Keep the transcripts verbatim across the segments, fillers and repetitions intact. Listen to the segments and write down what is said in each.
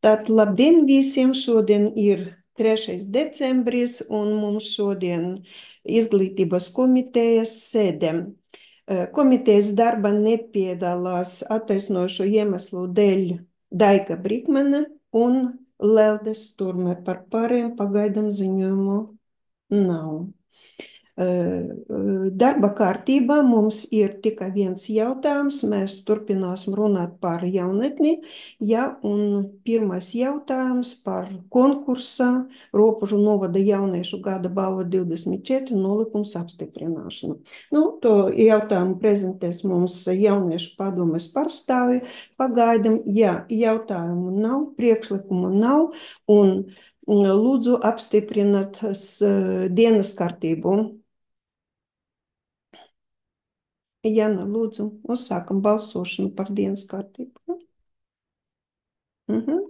Tātad labdien visiem! Šodien ir trešais decembris un mums šodien izglītības komitejas sēde. Komitejas darba nepiedalās attaisnojošo iemeslu dēļ Daiga Brikmane un Lelde Sturme. Par pārējiem pagaidām ziņojumu nav. Darba kārtībā mums ir tikai viens jautājums. Mēs turpināsim runāt par jaunatni. Ja, un pirmais jautājums par konkursa Ropužu novada jauniešu gada balva divdesmit četri nolikums apstiprināšanu. Nu, to jautājumu prezentēs mums jauniešu padomes pārstāvi. Pagaidam, ja jautājumu nav, priekšlikumu nav, un lūdzu apstiprināt dienas kārtību. Jana, lūdzu, uzsākam balsošanu par dienas kārtību. Mhm.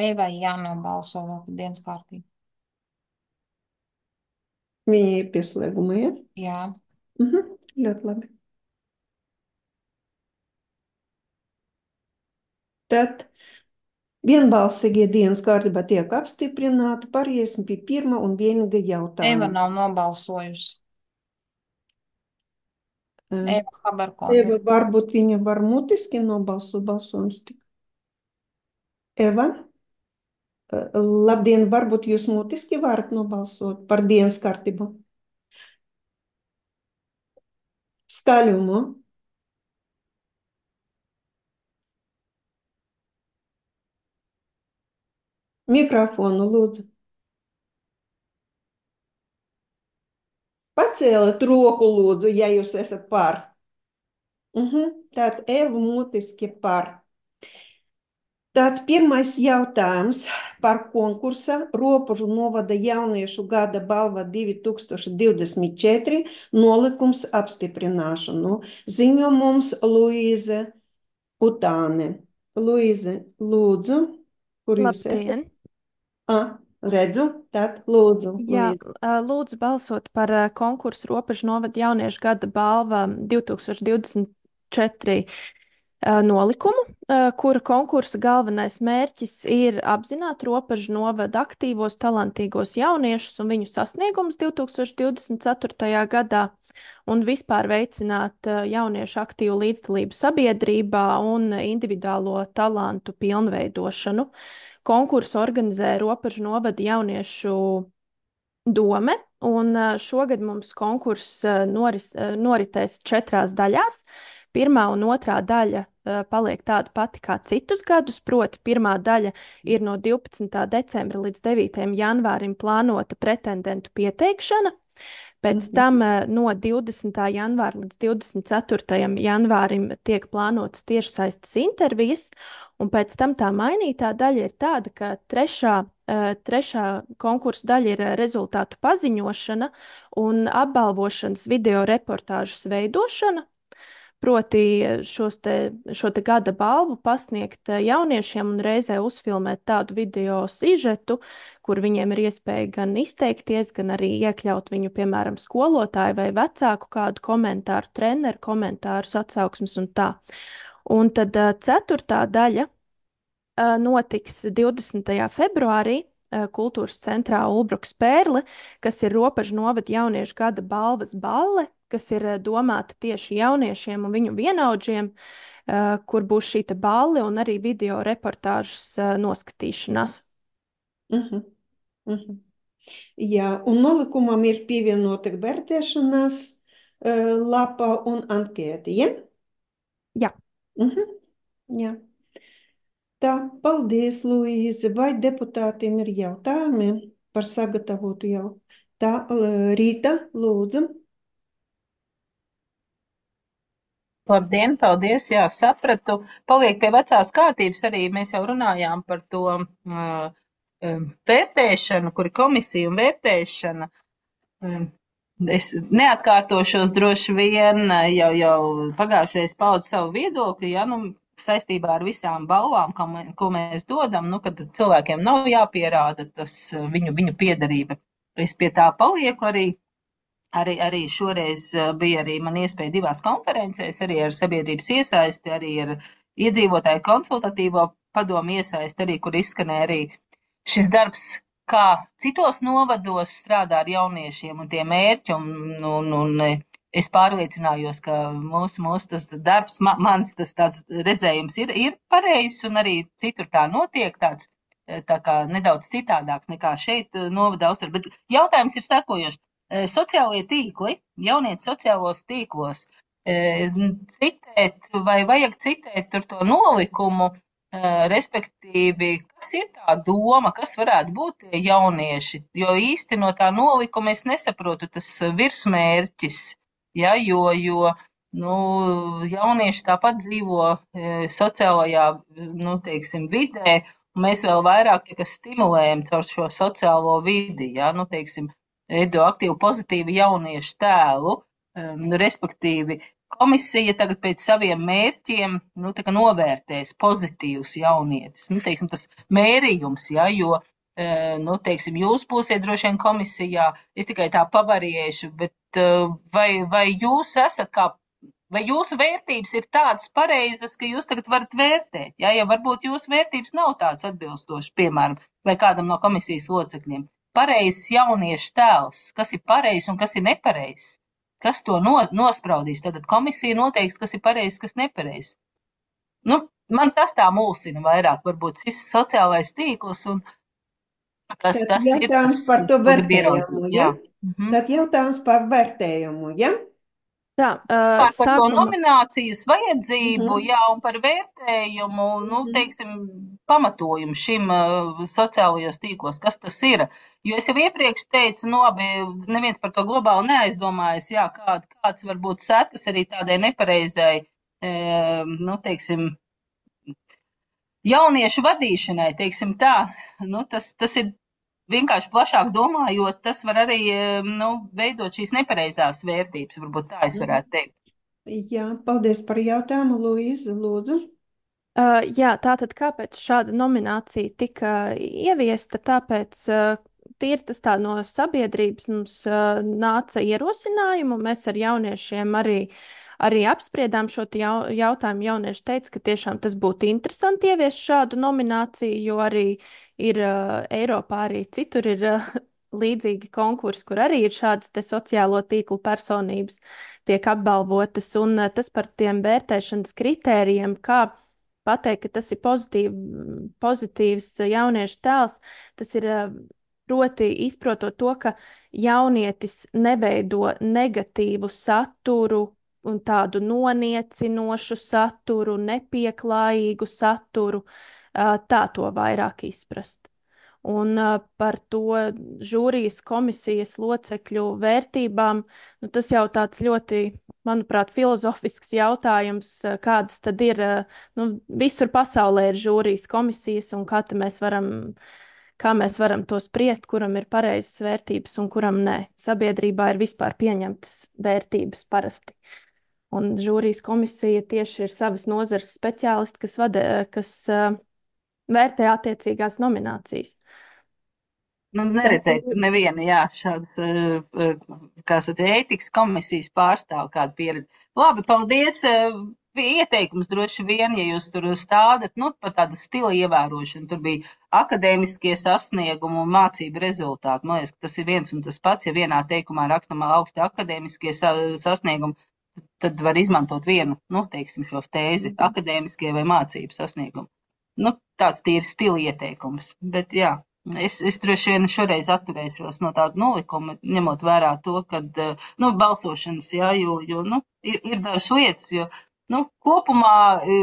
Evai jānobalso vēl par dienas kārtību. Viņa ir pieslēguma, ja? Jā. Mhm. Ļoti labi. Tad vienbalsīgie dienas kārtībā tiek apstiprināti. Pāriesim pie pirmā un vienīga Eva jautājuma. nav nobalsojusi. Uh, Eva Haberkona. Eva, varbūt viņa var mutiski nobalsot balsojums tik. Eva? Uh, labdien, varbūt jūs mutiski varat nobalsot par dienas kārtību? Skaļumu. Mikrofonu, lūdzu. Pacēliet roku, lūdzu, ja jūs esat par. Uh-huh. Tātad Eva mutiski par. Tātad pirmais jautājums par konkursa Ropužu novada jauniešu gada balva divi tūkstoši divdesmit četri nolikums apstiprināšanu. Ziņo mums Luīze Utāne. Luīze, lūdzu, kur jūs esat? Labdien! Ah, redzu, tad lūdzu, Jā, Luīze. lūdzu balsot par konkursu Ropužu novada jauniešu gada balva divi tūkstoši divdesmit četri nolikumu, kura konkursa galvenais mērķis ir apzināt Ropužu novada aktīvos, talantīgos jauniešus un viņu sasniegumus divi tūkstoši divdesmit ceturtajā gadā un vispār veicināt jauniešu aktīvu līdzdalību sabiedrībā un individuālo talantu pilnveidošanu. Konkursu organizē Ropužu novada jauniešu dome, un šogad mums konkurss noris, noritēs četrās daļās. Pirmā un otrā daļa uh, paliek tāda pati kā citus gadus, proti pirmā daļa ir no divpadsmitā decembra līdz devītajam janvārim plānota pretendentu pieteikšana, pēc Mhm. tam uh, no divdesmitā janvāra līdz divdesmit ceturtajam janvārim tiek plānotas tiešsaistes intervijas, un pēc tam tā mainītā daļa ir tāda, ka trešā, uh, trešā konkursa daļa ir uh, rezultātu paziņošana un apbalvošanas video reportāžas veidošana. Proti šos te, šo te gada balvu pasniegt jauniešiem un reizē uzfilmēt tādu video sižetu, kur viņiem ir iespēja gan izteikties, gan arī iekļaut viņu, piemēram, skolotāju vai vecāku kādu komentāru, treneru komentārus, atsauksmes un tā. Un tad ceturtā daļa notiks divdesmitajā februārī Kultūras centrā Ulbrukas Pērle, kas ir Ropužu novada jauniešu gada balvas balle, kas ir domāta tieši jauniešiem un viņu vienaudžiem, uh, kur būs šī balle un arī video reportāžas uh, noskatīšanās. Uh-huh. Uh-huh. Jā, un nolikumam ir pievienota vērtēšanās uh, lapa un ankēti, ja? Jā. Uh-huh. Jā. Tā, paldies, Luīze. Vai deputātiem ir jautājumi par sagatavotu jau? Tā, Rīta, lūdzu. Labdien, paldies, jā, sapratu. Paliek pie vecās kārtības arī, mēs jau runājām par to uh, vērtēšanu, kur ir komisija un vērtēšana. Um, Es neatkārtošos droši vien, jau, jau pagājušais paudu savu viedokli, ja, nu, saistībā ar visām balvām, ko, mē, ko mēs dodam, nu, kad cilvēkiem nav jāpierāda tas viņu, viņu piederība. Es pie tā palieku arī. Arī, arī šoreiz bija arī man iespēja divās konferencēs, arī ar sabiedrības iesaisti, arī ar iedzīvotāju konsultatīvo padomu iesaisti, arī, kur izskanēja arī šis darbs, kā citos novados strādā ar jauniešiem un tie mērķi, un, un, un es pārliecinājos, ka mūsu, mūsu tas darbs, man, mans tas tāds redzējums ir, ir pareizs, un arī citur tā notiek tāds, tā kā nedaudz citādāks nekā šeit novada austur, bet jautājums ir sekojošs. Sociālie tīkli, jaunieši sociālos tīklos, citēt vai vajag citēt tur to nolikumu, respektīvi, kas ir tā doma, kas varētu būt tie jaunieši, jo īsti no tā nolikuma es nesaprotu tas virsmērķis, ja, jo, jo nu, jaunieši tāpat dzīvo sociālajā, nu, teiksim, vidē, un mēs vēl vairāk tikai stimulējam caur šo sociālo vidi, ja, nu, teiksim, veido aktīvu pozitīvu jauniešu tēlu, um, respektīvi komisija tagad pēc saviem mērķiem, nu, tā kā novērtēs pozitīvus jaunietis, nu, teiksim, tas mērījums, ja, jo, uh, nu, teiksim, jūs būsiet droši vien komisijā, es tikai tā pavariešu, bet uh, vai, vai jūs esat kā, vai jūsu vērtības ir tādas pareizas, ka jūs tagad varat vērtēt, ja, ja varbūt jūsu vērtības nav tādas atbilstošas, piemēram, vai kādam no komisijas locekļiem. Pareizs jauniešu tēls, kas ir pareizs un kas ir nepareizs, kas to no, nospraudīs, tad komisija noteiks, kas ir pareizs, kas nepareizs. Nu, man tas tā mulsina vairāk, varbūt šis sociālais tīkls un kas, kas ir tas, par to vērtējumu, ja? Jā. Mhm. Tad jautājums par vērtējumu, ja? Tā, uh, par sākuma... to nominācijas vajadzību, Mhm. jā, un par vērtējumu, nu, teiksim, pamatojumu šim uh, sociālajos tīklos, kas tas ir. Jo es jau iepriekš teicu, nu, labi, neviens par to globāli neaizdomājas, jā, kād, kāds var būt sekas arī tādai nepareizai, e, nu, teiksim, jauniešu vadīšanai, teiksim tā, nu, tas, tas ir vienkārši plašāk domājot, tas var arī, nu, veidot šīs nepareizās vērtības, varbūt tā es varētu teikt. Jā, paldies par jautājumu, Luīza, lūdzu. Uh, jā, tātad kāpēc šāda nominācija tika ieviesta? Tāpēc uh, tīri tas tā no sabiedrības mums uh, nāca ierosinājumu, mēs ar jauniešiem arī, arī apspriedām šo jau, jautājumu. Jaunieši teica, ka tiešām tas būtu interesanti ieviest šādu nomināciju, jo arī ir uh, Eiropā, arī citur ir uh, līdzīgi konkursi, kur arī ir šādas te sociālo tīklu personības tiek apbalvotas, un uh, tas par tiem vērtēšanas kritērijiem, kā pateikt, ka tas ir pozitīv, pozitīvs jauniešu tēls, tas ir proti izprotot to, ka jaunietis neveido negatīvu saturu un tādu noniecinošu saturu, nepieklājīgu saturu, tā to vairāk izprast. Un uh, par to žūrijas komisijas locekļu vērtībām, nu, tas jau tāds ļoti, manuprāt, filozofisks jautājums, kādas tad ir, nu, visur pasaulē ir žūrijas komisijas, un kā mēs varam, kā mēs varam to spriest, kuram ir pareizas vērtības un kuram nē. Sabiedrībā ir vispār pieņemtas vērtības parasti. Un žūrijas komisija tieši ir savas nozares speciālisti, kas, vada, kas uh, vērtē attiecīgās nominācijas. Nu, neretēt neviena, jā, šāda, kā saka, ētikas komisijas pārstāv kādu pieredzi. Labi, paldies. Ieteikums droši vien, ja jūs tur stādat, nu, par tādu stila ievērošanu, tur bija akadēmiskie sasniegumi un mācību rezultāti. Man liekas, ka tas ir viens un tas pats, ja vienā teikumā rakstam augsti akadēmiskie sasniegumi, tad var izmantot vienu, nu, teiksim, šo tēzi, akadēmiskie vai mācību sasniegumi. Nu, tāds tīri stila ieteikums, bet jā. Es, es droši vien šoreiz atturēšos no tāda nolikuma, ņemot vērā to, kad, nu, balsošanas, jā, jo, jo, nu, ir, ir dažas lietas, jo, nu, kopumā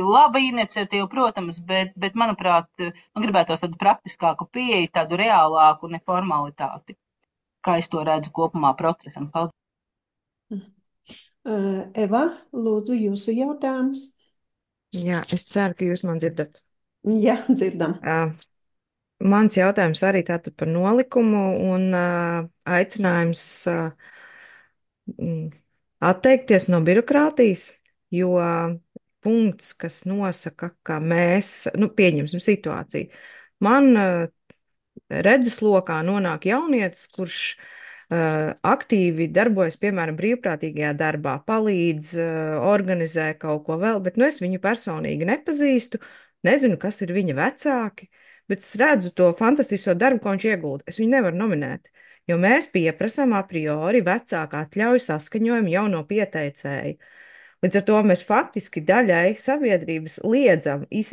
laba iniciatīva, protams, bet, bet, manuprāt, man gribētos tādu praktiskāku pieeju, tādu reālāku neformalitāti, kā es to redzu kopumā procesam. Paldies. Eva, lūdzu, jūsu jautājums. Jā, es ceru, ka jūs man dzirdat. Jā, dzirdam. Uh. Mans jautājums arī tātad par nolikumu un uh, aicinājums uh, mm, atteikties no birokrātijas, jo punkts, kas nosaka, ka mēs, nu, pieņemsim situāciju. Man uh, redzeslokā nonāk jaunietis, kurš uh, aktīvi darbojas, piemēram, brīvprātīgajā darbā, palīdz, uh, organizē kaut ko vēl, bet nu, es viņu personīgi nepazīstu, nezinu, kas ir viņa vecāki, bet es redzu to fantastisko darbu, ko viņš iegulda. Es viņu nevaru nominēt, jo mēs pieprasām a priori vecāku atļauju saskaņojumu jau no pieteicēja. Līdz ar to mēs faktiski daļai sabiedrības liedzam iz,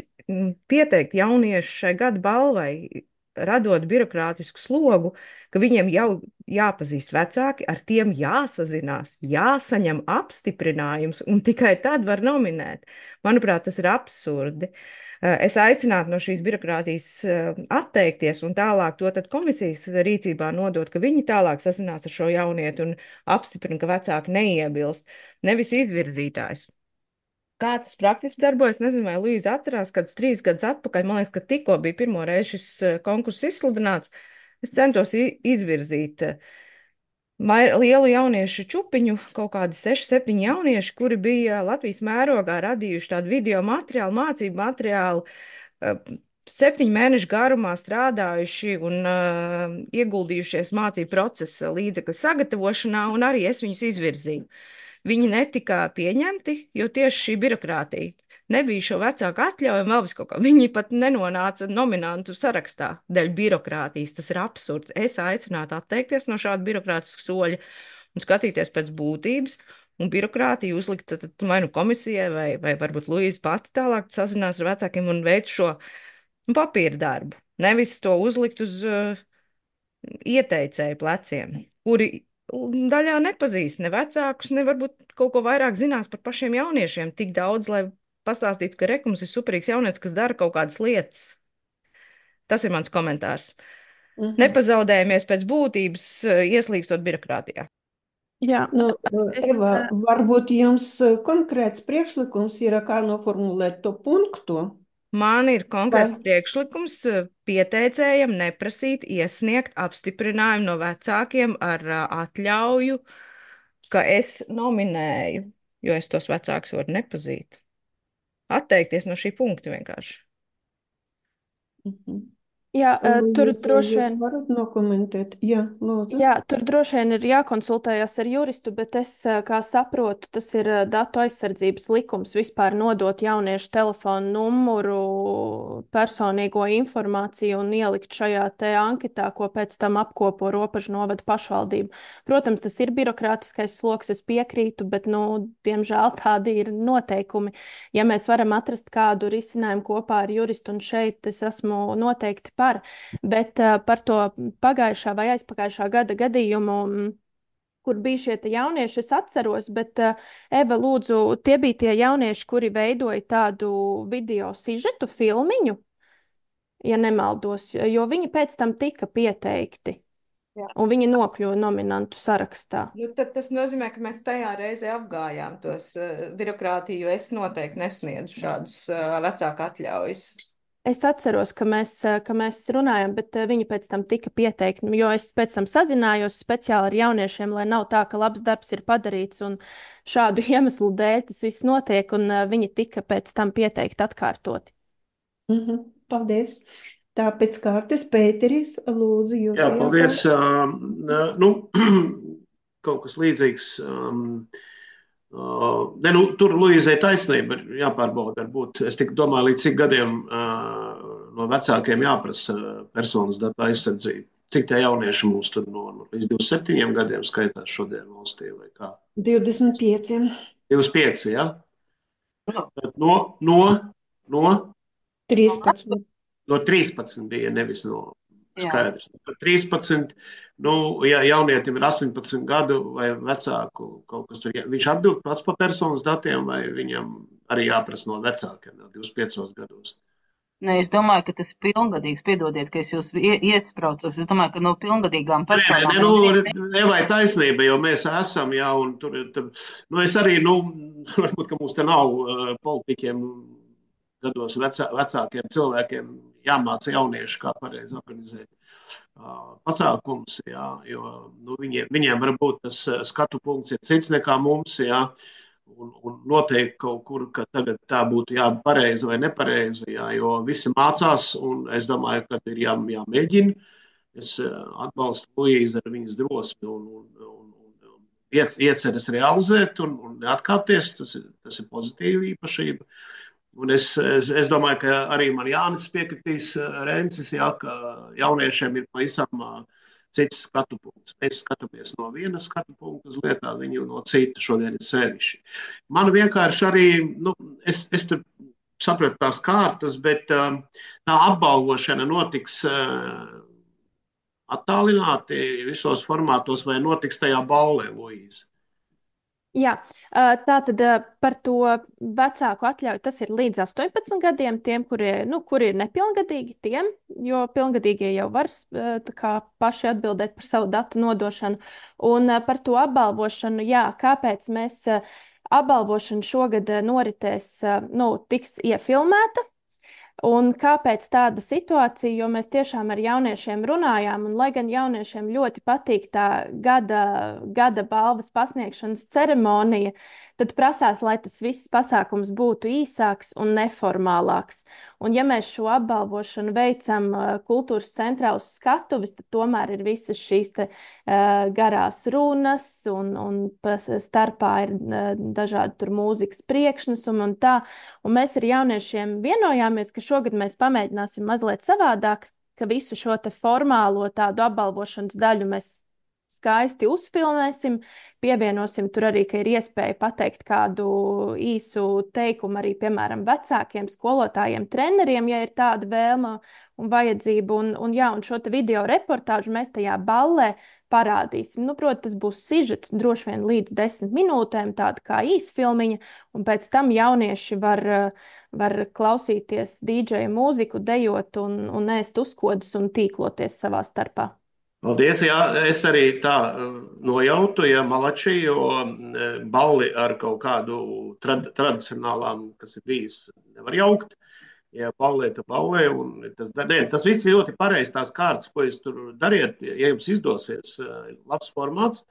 pieteikt jauniešu šai gada balvai, radot birokrātisku slogu, ka viņiem jau jāpazīst vecāki, ar tiem jāsazinās, jāsaņem apstiprinājums, un tikai tad var nominēt. Manuprāt, tas ir absurdi. Es aicinātu no šīs birokrātijas atteikties un tālāk to tad komisijas rīcībā nodot, ka viņi tālāk sazinās ar šo jaunieti un apstiprina, ka vecāki neiebilst, nevis izvirzītājs. Kā tas praktiski darbojas, nezinu, vai Luīza atcerās, kad trīs gadus atpakaļ, man liekas, ka tikko bija pirmo reizi šis konkurss izsludināts, es centos izvirzīt lielu jauniešu čupiņu, kaut kādi seši, septiņi jaunieši, kuri bija Latvijas mērogā radījuši tādu video materiālu, mācību materiālu, septiņu mēnešu garumā strādājuši un uh, ieguldījušies mācību procesa līdzekļu sagatavošanā, un arī es viņus izvirzīju. Viņi netika pieņemti, jo tieši šī birokrātija nebija šo vecāku atļauju un vēl vis kaut kā. Viņi pat nenonāca nominantu sarakstā dēļ birokrātijas. Tas ir absurds. Es aicinātu atteikties no šāda birokrātiska soļa un skatīties pēc būtības un birokrātiju uzlikt tad, vai nu komisijai vai, vai varbūt Luīza pati tālāk sazinās ar vecākiem un veic šo papīra darbu. Nevis to uzlikt uz uh, ieteicēju pleciem, kuri daļā nepazīst ne vecākus, ne varbūt kaut ko vairāk zinās par pašiem jauniešiem, tik daudz, lai pastāstītu, ka rekums ir superīgs jaunietis, kas dara kaut kādas lietas. Tas ir mans komentārs. Mm-hmm. Nepazaudējamies pēc būtības, ieslīgstot birokrātijā. Jā, nu, es, Eva, varbūt jums konkrēts priekšlikums ir, kā noformulēt to punktu? Man ir konkrēts Vai? priekšlikums pieteicējiem neprasīt iesniegt apstiprinājumu no vecākiem ar atļauju, ka es nominēju, jo es tos vecākus varu nepazīt. Atteikties no šī punkta vienkārši. Mhm. Jā, Un, tur jūs, droši vien. Jūs varat nokomentēt? Jā, lūdzu. Jā, tur droši vien ir jākonsultējas ar juristu, bet es, kā saprotu, tas ir datu aizsardzības likums vispār nodot jauniešu telefonu numuru, personīgo informāciju un ielikt šajā te anketā, ko pēc tam apkopo Ropažu novada pašvaldība. Protams, tas ir birokrātiskais sloks, es piekrītu, bet, nu, diemžēl tādi ir noteikumi. Ja mēs varam atrast kādu risinājumu kopā ar juristu, un šeit es esmu noteikti par, bet uh, par to pagājušā vai aizpagājušā gada gadījumu, kur bija šie jaunieši, es atceros, bet uh, Eva, lūdzu, tie bija tie jaunieši, kuri veidoja tādu video sižetu filmiņu, ja nemaldos, jo viņi pēc tam tika pieteikti. Jā. Un viņi nokļuva nominantu sarakstā. Nu, tad tas nozīmē, ka mēs tajā reizē apgājām tos uh, birokrātiju, jo es noteikti nesniedzu šādus uh, vecāku atļaujas. Es atceros, ka mēs, ka mēs runājam, bet viņi pēc tam tika pieteikti, jo es pēc tam sazinājos speciāli ar jauniešiem, lai nav tā, ka labs darbs ir padarīts un šādu iemeslu dēļ tas viss notiek, un viņi tika pēc tam pieteikti atkārtoti. Mm-hmm. Paldies! Tā pēc kārtas, Pēteris, lūdzu, jūs. Jā, paldies. Um, nu, kaut kas līdzīgs. Um, Uh, ne, nu, tur Luīzai taisnība ir jāpārbauda. Varbūt. Es tik domāju, līdz cik gadiem uh, no vecākiem jāprasa personas datu aizsardzību. Cik tie jaunieši mums tur no, no līdz divdesmit septiņiem gadiem skaitās šodien valstī vai kā? divdesmit pieci. divdesmit pieci, jā? Ja? No, no, no? trīspadsmit. No trīspadsmit bija, nevis no skaidrs. trīspadsmit. Nu, ja jaunietim ir astoņpadsmit gadu vai vecāku kaut kas tur, viņš atbild pats par personas datiem vai viņam arī jāprasa no vecākiem no divdesmit piecos gados? Nē, es domāju, ka tas ir pilngadīgs. Piedodiet, ka es jūs iespraucos. Es domāju, ka no pilngadīgām personām. Nē, nu, nevai taisnība, jo mēs esam, jā, un tur, tur nu, es arī, nu, varbūt, ka mums te nav uh, politiķiem gados vecā, vecākiem cilvēkiem jāmāca jaunieši, kā pareizi organizēt pasākums, jā, jo nu, viņiem, viņiem varbūt tas skatu punkts ir cits nekā mums, jā, un, un noteikti kaut kur, ka tagad tā būtu jā, pareizi vai nepareizi, jā, jo visi mācās, un es domāju, ka ir jā, jāmēģina. Es atbalstu Luīzi ar viņas drosmi un, un, un, un ieceres realizēt un, un neatkāpties. Tas ir, tas ir pozitīva īpašība. Un es, es, es domāju, ka arī man Jānis piekritīs Rencis, jā, ka jauniešiem ir pavisam cits skatu punkts. Mēs skatāmies no viena skatu punkta uz lietām, viņu no cita šodien ir sevišķi. Man vienkārši arī, nu, es, es tur sapratu tās kārtas, bet tā apbalvošana notiks attālināti visos formātos vai notiks tajā ballē, Luīze? Jā, tā tad par to vecāku atļauju tas ir līdz astoņpadsmit gadiem tiem, kuri, nu, kuri ir nepilngadīgi tiem, jo pilngadīgie jau var tā kā paši atbildēt par savu datu nodošanu. Un par to apbalvošanu, jā, kāpēc mēs apbalvošana šogad noritēs, nu, tiks iefilmēta. Un kāpēc tāda situācija? Jo mēs tiešām ar jauniešiem runājām, un lai gan jauniešiem ļoti patīk tā gada, gada balvas pasniegšanas ceremonija, tad prasās, lai tas viss pasākums būtu īsāks un neformālāks. Un ja mēs šo apbalvošanu veicam kultūras centrā uz skatuves, tad tomēr ir visas šīs te, uh, garās runas, un, un starpā ir uh, dažādi tur mūzikas priekšnesumi un tā. Un mēs ar jauniešiem vienojāmies, ka šogad mēs pamēģināsim mazliet savādāk, ka visu šo te formālo tādu apbalvošanas daļu mēs skaisti uzfilmēsim, pievienosim tur arī, ka ir iespēja pateikt kādu īsu teikumu arī, piemēram, vecākiem, skolotājiem, treneriem, ja ir tāda vēlme un vajadzība. Un, un, jā, un šo te video reportāžu mēs tajā ballē parādīsim. Nu, protams, tas būs sižets droši vien līdz desmit minūtēm, tāda kā īsfilmiņa, un pēc tam jaunieši var, var klausīties dīdžeja mūziku, dejot un, un ēst uzkodas un tīkloties savā starpā. Paldies, jā, es arī tā nojautu, ja malači, jo balli ar kaut kādu trad, tradicionālām, kas ir bijis, nevar jaukt. Ja ballē, tad ballē, un tas, ne, tas viss ir ļoti pareizi tās kārtas, ko jūs tur dariet, ja jums izdosies, labs formāts.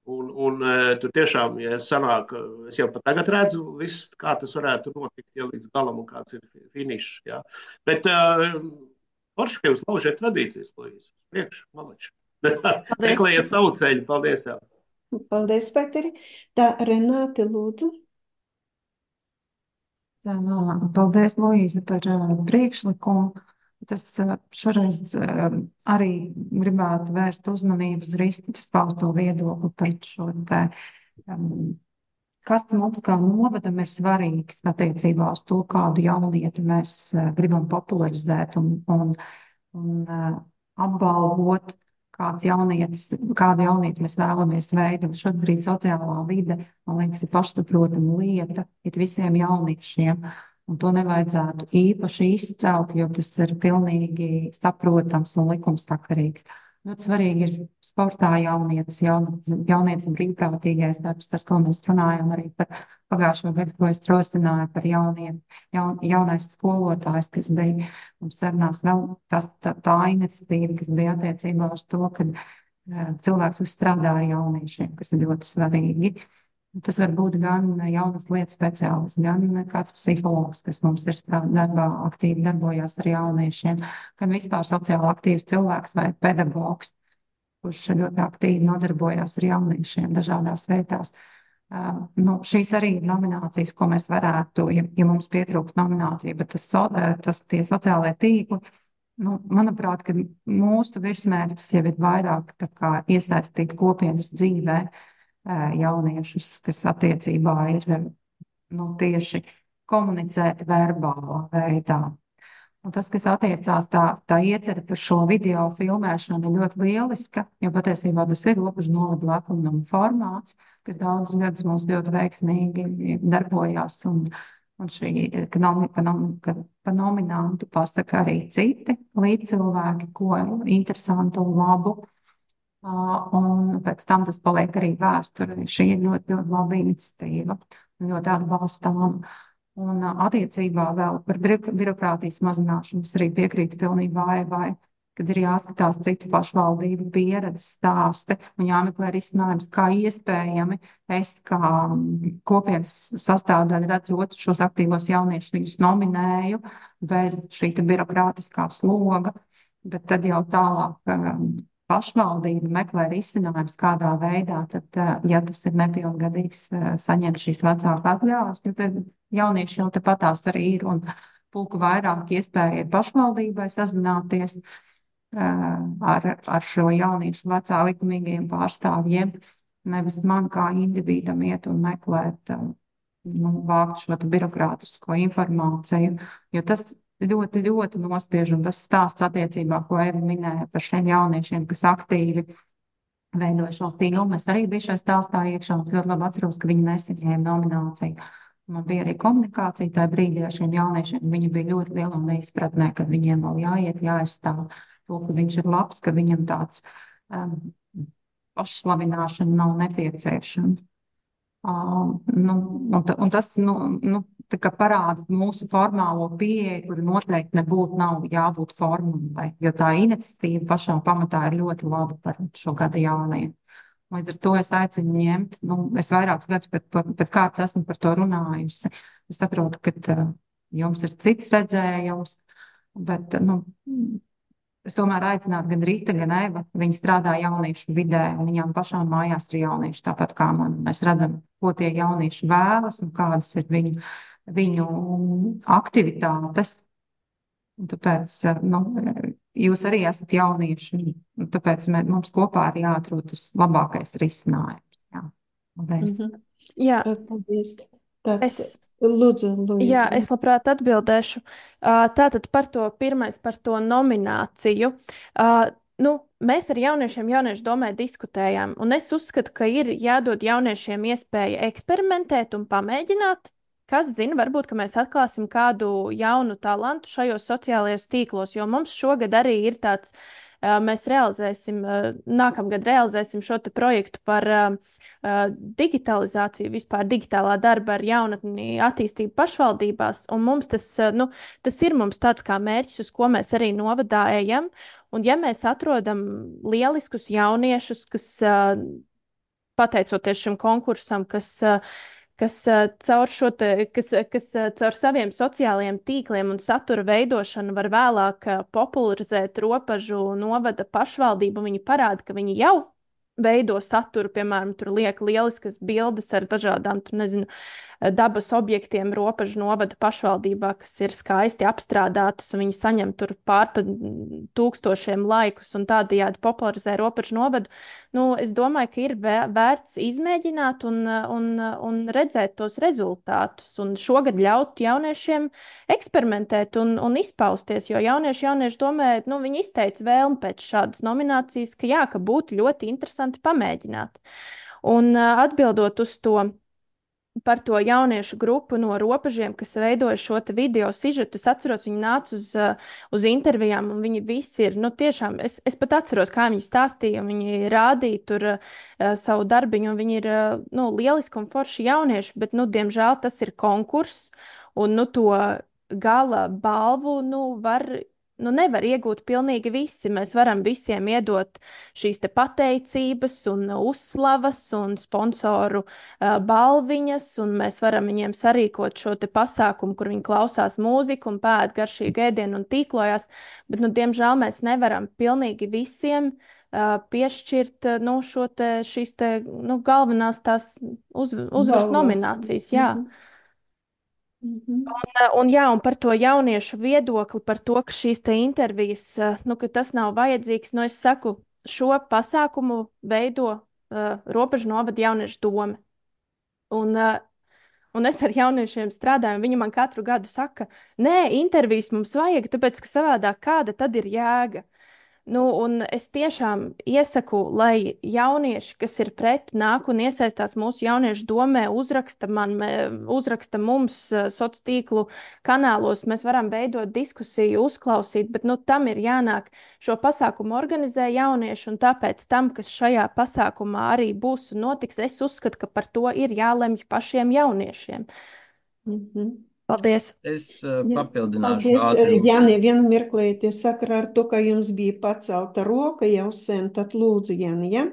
Un, un tur tiešām, ja sanāk, es jau pat tagad redzu viss, kā tas varētu notikt, ja līdz galam un kāds ir finišs, jā. Bet forši, ka jūs laužiet tradīcijas, Luīze. Priekš, malači. Meklējiet savu ceļu. Paldies, jā. Paldies, Peteri. Tā, Renāte, lūdzu. Tā, paldies, Luīze, par uh, priekšlikumu. Tas uh, šoreiz uh, arī gribētu vērst uzmanību uz Ristas pausto viedokli par šo te, um, kas mums kā novadam ir svarīgs attiecībā uz to, kādu jaunieti mēs uh, gribam popularizēt un, un, un uh, apbalvot, kāds jaunietis, kādu jaunieti mēs vēlamies veidot. Šobrīd sociālā vide, man liekas, ir pašsaprotama lieta it visiem jauniešiem, un to nevajadzētu īpaši izcelt, jo tas ir pilnīgi saprotams un likumsakarīgs. Ļoti svarīgi ir sportā jaunietis, jaunietis, jaunietis brīvprātīgais darbs, tas, ko mēs runājam arī par pagājušo gadu, ko es rosināju par jauniem, jaun, jaunais skolotājs, kas bija mums sarunās vēl tas, tā, tā iniciatīva, kas bija attiecībā uz to, ka uh, cilvēks, kas strādā ar jauniešiem, kas ir ļoti svarīgi. Tas var būt gan jaunas lietas speciālists, gan kāds psihologs, kas mums ir darbā aktīvi darbojās ar jauniešiem, gan vispār sociāli aktīvs cilvēks vai pedagogs, kurš ļoti aktīvi nodarbojās ar jauniešiem dažādās vietās. Uh, nu, šīs arī ir nominācijas, ko mēs varētu, ja, ja mums pietrūks nominācija, bet tas, tas tie sociālie tīkli, nu, manuprāt, ka mūsu virsmērķis jau ir vairāk tā kā iesaistīt kopienas dzīvē, jauniešus, kas attiecībā ir nu, tieši komunicēt verbālā veidā. Un tas, kas attiecās tā, tā iecerē par šo video filmēšanu, ir ļoti lieliska, jo patiesībā tas ir robežu novada lepnuma formāts, kas daudzus gadus mums ļoti veiksmīgi darbojās, un, un šī, ka, nom, ka, nom, ka pa nominantu pasaka arī citi līdzcilvēki, ko interesantu un labu. Uh, un pēc tam tas paliek arī vēsturē. Šī ir ļoti, ļoti laba iniciatīva, ļoti atbalstām. Un uh, attiecībā vēl par birokrātijas mazināšanu es arī piekrītu pilnībā Aivai, kad ir jāskatās citu pašvaldību pieredzi stāsti un jāmeklē risinājums, kā iespējami es kā mm, kopienas sastāvdaļa redzot šos aktīvos jauniešus, viņus nominēju bez šī te birokrātiskā sloga, bet tad jau tālāk um, pašvaldība meklē risinājums, kādā veidā, tad, uh, ja tas ir nepilngadīgs, uh, saņemt šīs vecāku atļaujas, jo tad jaunieši jau tepatās arī ir un pulku vairāk iespēja ir pašvaldībai sazināties ar, ar šo jauniešu vecā likumīgajiem pārstāvjiem, nevis man kā individam iet un meklēt, nu, vākt šo te birokrātisko informāciju, jo tas ļoti, ļoti nospiež, un tas stāsts attiecībā, ko Eva minēja par šiem jauniešiem, kas aktīvi veidoja šo filmu. Es arī biju šajā stāstā iekšā, un ļoti labi atceros, ka viņi nesaņēma nomināciju. Man bija arī komunikācija tajā brīdī ar šiem jauniešiem. Viņi bija ļoti lielā neizpratnē, ka viņiem vēl jāiet, jāaizstāv to, ka viņš ir labs, ka viņam tāds um, pašslavināšana nav nepieciešama. Uh, nu, un, ta, un tas nu, nu, tā kā parāda mūsu formālo pieeju, kur noteikti nebūtu nav jābūt formālai, jo tā iniciatīva pašā pamatā ir ļoti laba par šo gada jaunajiem. Līdz ar to es aicinu ņemt, nu, es vairākus gadus pēc, pēc kārtas esmu par to runājusi. Es saprotu, ka uh, jums ir cits redzējums, bet, nu, es tomēr aicinātu gan Rīta, gan Eva. Viņi strādā jauniešu vidē, un viņām pašām mājās ir jaunieši, tāpat kā man. Mēs redzam, ko tie jaunieši vēlas un kādas ir viņu, viņu aktivitātes. Un tāpēc, nu, jūs arī esat jaunieši, un tāpēc mē, mums kopā ir jāatrod tas labākais risinājums. Jā, paldies. Mhm. Jā, Paldies. Tad, es, lūdzu, Luīza. jā, es labprāt atbildēšu. Uh, Tātad par to pirmais, par to nomināciju. Uh, Nu, mēs ar jauniešiem jauniešu domē diskutējām, un es uzskatu, ka ir jādod jauniešiem iespēja eksperimentēt un pamēģināt. Kas zina, varbūt, ka mēs atklāsim kādu jaunu talantu šajos sociālajos tīklos, jo mums šogad arī ir tāds, uh, mēs realizēsim, uh, nākamgad realizēsim šo te projektu par uh, uh, digitalizāciju, vispār digitālā darba ar jaunatni attīstību pašvaldībās, un mums tas, uh, nu, tas ir mums tāds kā mērķis, uz ko mēs arī novadā ejam, un ja mēs atrodam lieliskus jauniešus, kas, uh, pateicoties šim konkursam, kas uh, kas uh, caur šo te, kas, kas uh, caur saviem sociālajiem tīkliem un satura veidošanu var vēlāk uh, popularizēt Ropažu novada pašvaldību. Viņi parāda, ka viņi jau veido saturu, piemēram, tur liek lieliskas bildes ar dažādām, tur nezinu, dabas objektiem Ropažu novada pašvaldībā, kas ir skaisti apstrādātas, un viņi saņem tur pārpa tūkstošiem laikus un tādējādi popularizē Ropažu novadu. Nu, es domāju, ka ir vērts izmēģināt un, un, un redzēt tos rezultātus, un šogad ļaut jauniešiem eksperimentēt un, un izpausties, jo jaunieši, jaunieši domē, nu, viņi izteica vēlmi pēc šādas nominācijas, ka jā, ka būtu ļoti interesanti pamēģināt. Un atbildot uz to, par to jauniešu grupu no Ropažiem, kas veidoja šo te video sižetu. Es atceros, viņi nāca uz, uz intervijām, un viņi visi ir, nu tiešām, es, es pat atceros, kā viņi stāstīja, un viņi rādīja tur uh, savu darbiņu, un viņi ir, uh, nu, lieliski un forši jaunieši, bet, nu, diemžēl tas ir konkurss, un, nu, to gala balvu, nu, var... Nu, nevar iegūt pilnīgi visi. Mēs varam visiem iedot šīs te pateicības un uzslavas un sponsoru uh, balviņas, un mēs varam viņiem sarīkot šo te pasākumu, kur viņi klausās mūziku un pēd garšīgu ēdienu un tīklojās, bet, nu, diemžēl mēs nevaram pilnīgi visiem uh, piešķirt, uh, nu, šo te, šīs te, nu, galvenās tās uz, uzvaras Balvas. nominācijas, jā. Mhm. Mhm. Un, un, jā, un par to jauniešu viedokli, par to, ka šīs te intervijas, nu, ka tas nav vajadzīgs, nu, es saku, šo pasākumu veido uh, Ropažu novada jauniešu dome. Un, uh, un es ar jauniešiem strādāju, un viņi man katru gadu saka, nē, intervijas mums vajag, tāpēc, ka savādāk kāda tad ir jēga. Nu, un es tiešām iesaku, lai jaunieši, kas ir pret, nāk un iesaistās mūsu jauniešu domē, uzraksta man, uzraksta mums sociālo tīklu kanālos. Mēs varam veidot diskusiju, uzklausīt, bet, nu, tam ir jānāk. Šo pasākumu organizē jaunieši, un tāpēc tam, kas šajā pasākumā arī būs un notiks, es uzskatu, ka par to ir jālemj pašiem jauniešiem. Mhm. Paldies! Es uh, Jā, papildināšu paldies. ātri. Jāni, vienu mirklīti sakarā ar to, ka jums bija pacelta roka jau sen, tad lūdzu, Jāni, ja?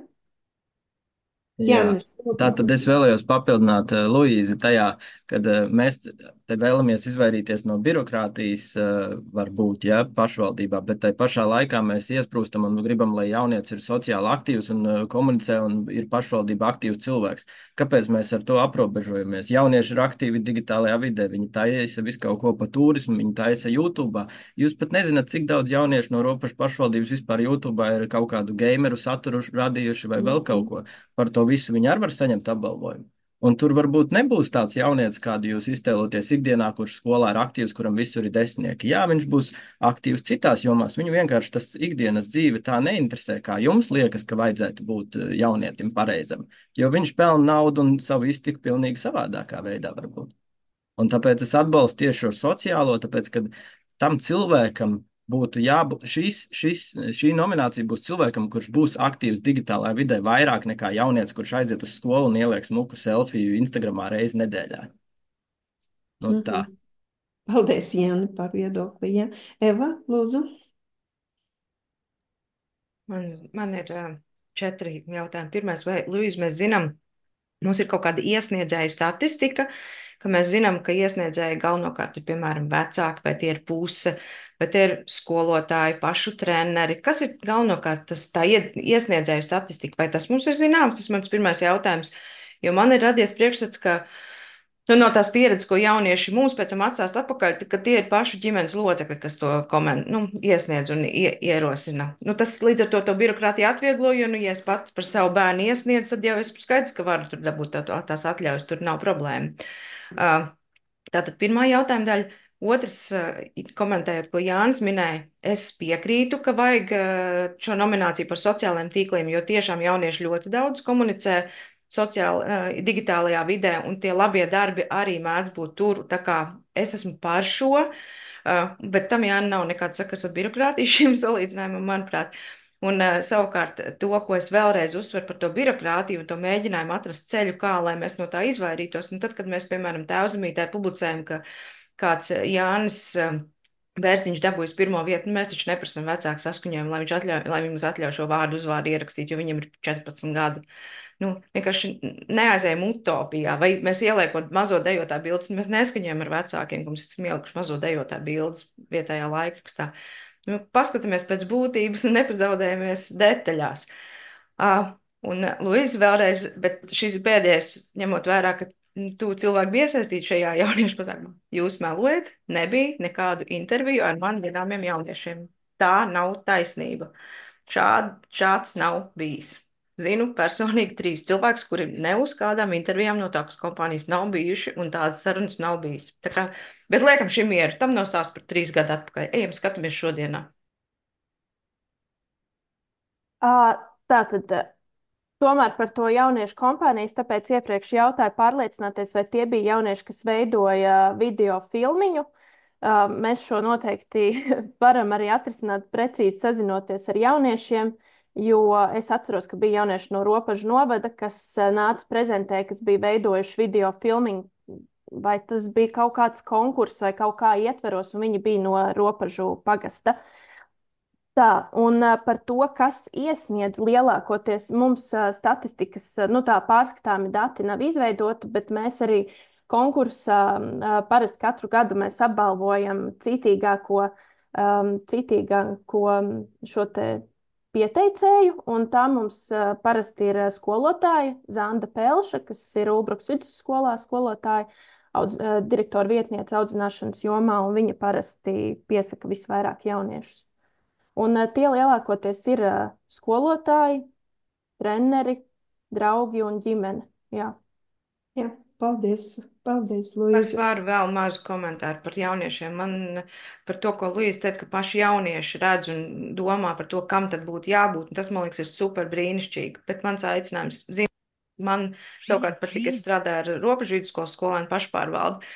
Jā, Jānis, tā lūdzu. tad es vēlējos papildināt uh, Luīzi tajā, kad uh, mēs te vēlamies izvairīties no birokrātijas, uh, varbūt, ja, pašvaldībā, bet tai pašā laikā mēs iesprūstam un gribam, lai jaunietis ir sociāli aktīvs un uh, komunicē un ir pašvaldība aktīvs cilvēks. Kāpēc mēs ar to aprobežojamies? Jaunieši ir aktīvi digitālajā vidē, viņi taisa visu kaut ko pa turismu, viņi taisa YouTube. Jūs pat nezināt, cik daudz jauniešu no Ropašu pašvaldības vispār YouTube ir kaut kādu gameru saturu radījuši vai vēl kaut ko. Par to visu viņi arī var saņemt apbalvojumu. Un tur varbūt nebūs tāds jaunietis, kādu jūs iztēloties ikdienā, kurš skolā ir aktīvs, kuram visur ir desmitnieki. Jā, viņš būs aktīvs citās jomās. Viņu vienkārši tas ikdienas dzīve tā neinteresē, kā jums liekas, ka vajadzētu būt eh, jaunietim pareizam. Jo viņš pelna naudu un savu iztiku pilnīgi savādākā veidā varbūt. Un tāpēc es atbalstu tieši šo sociālo, tāpēc, ka tam cilvēkam būtu jābūt, šis, šis, šī nominācija būs cilvēkam, kurš būs aktīvs digitālajā vidē vairāk nekā jaunietis, kurš aiziet uz skolu un ieliek smuku selfiju Instagramā reizi nedēļā. Nu tā. Mhm. Paldies, Jāni, par viedokli, ja? Eva, lūdzu. Man, man ir uh, četri jautājumi. Pirmais, vai, Luīz, mēs zinām, mums ir kaut kāda iesniedzēja statistika, ka mēs zinām, ka iesniedzēji galvenokārt ir, piemēram, vecāki, vai tie ir puse, vai tie ir skolotāji, pašu treneri. Kas ir galvenokārt tas tā iesniedzēju statistika? Vai tas mums ir zināms? Tas mans pirmais jautājums. Jo man ir radies priekšstats, ka nu, no tās pieredzes, ko jaunieši mūs pēc tam atstās atpakaļ, ka tie ir paši ģimenes locekļi, kas to koment, nu, iesniedz un ie, ierosina. Nu, tas līdz ar to to birokrātiju atvieglo, jo, nu, ja es pats par savu bērnu iesniedzu, tad jau es skaidrs, ka varu tur dabūt tā, tās atļaujas, tur nav problēma. Uh, tātad pirmā jautājuma daļa. Otrs, uh, komentējot, ko Jānis minēja, es piekrītu, ka vajag uh, šo nomināciju par sociālajiem tīkliem, jo tiešām jaunieši ļoti daudz komunicē sociāli, uh, digitālajā vidē, un tie labie darbi arī mēdz būt tur. Tā kā es esmu par šo, uh, bet tam Jāni nav nekāds sakars ar birokrātiju šim salīdzinājumam, manuprāt. Un uh, savukārt to, ko es vēlreiz uzsveru par to birokrātiju un to mēģinājumu atrast ceļu, kā lai mēs no tā izvairītos. Un tad, kad mēs, piemēram, Tēvzemītē publicējam, ka kāds Jānis uh, Bērziņš dabūjis pirmo vietu, nu, mēs taču neprasam vecāku saskaņojumu, lai viņš atļauj, lai viņš atļauj šo vārdu uzvārdu ierakstīt, jo viņam ir četrpadsmit gadi. Nu, vienkārši neaizējam utopijā, vai mēs ieliekot mazo dejotā bildes, mēs neskaņojam ar vecākiem, ka mums esam ielikuši mazo dejotā bildes vietējā laikrakstā. Nu, paskatāmies pēc būtības un nepazaudējamies detaļās. Uh, un, Luīza, vēlreiz, bet šis ir pēdējais, ņemot vērā, ka tu cilvēki bija iesaistīti šajā jauniešu pasākumā. Jūs melojat, nebija nekādu interviju ar man zināmiem jauniešiem. Tā nav taisnība. Šād, šāds nav bijis. Zinu personīgi trīs cilvēkus, kuri ne uz kādām intervijām no tādas kompānijas nav bijuši, un tādas sarunas nav bijis. Tā kā, bet liekam šim mieru, tam nav stāsts par trīs gadu atpakaļ. Ejam, skatāmies šodienā. Ā, Tātad, tomēr par to jauniešu kompānijas, tāpēc iepriekš jautāju pārliecināties, vai tie bija jaunieši, kas veidoja video filmiņu. Ā, Mēs šo noteikti varam arī atrisināt precīzi sazinoties ar jauniešiem, jo es atceros, ka bija jaunieši no Ropažu novada, kas ā, nāca prezentē, kas bija veidojuši video filmiņu, vai tas bija kaut kāds konkurss vai kaut kā ietveros, un viņi bija no Ropažu pagasta. Tā, un ā, par to, kas iesniedz lielākoties, mums ā, statistikas, ā, nu tā pārskatāmi dati nav izveidoti, bet mēs arī konkursā ā, parasti katru gadu mēs apbalvojam citīgāko, um, citīgāko šo te pieteicēju, un tā mums ā, parasti ir ā, skolotāja Zanda Pelša, kas ir Ulbruks vidusskolā skolotāja, audz, ā, direktora vietniece audzināšanas jomā, un viņa parasti piesaka visvairāk jauniešus. Un uh, tie lielākoties ir uh, skolotāji, treneri, draugi un ģimene. Jā. Jā, paldies. Paldies, Es Luīza. varu vēl mazu komentāru par jauniešiem. Man par to, ko Luīza teica, ka paši jaunieši redz un domā par to, kam tad būtu jābūt. Un tas, man liekas, ir super brīnišķīgi. Bet mans aicinājums, zin, man savukārt, par cik es strādāju ar Ropažu vidusskolas skolēnu pašpārvaldi,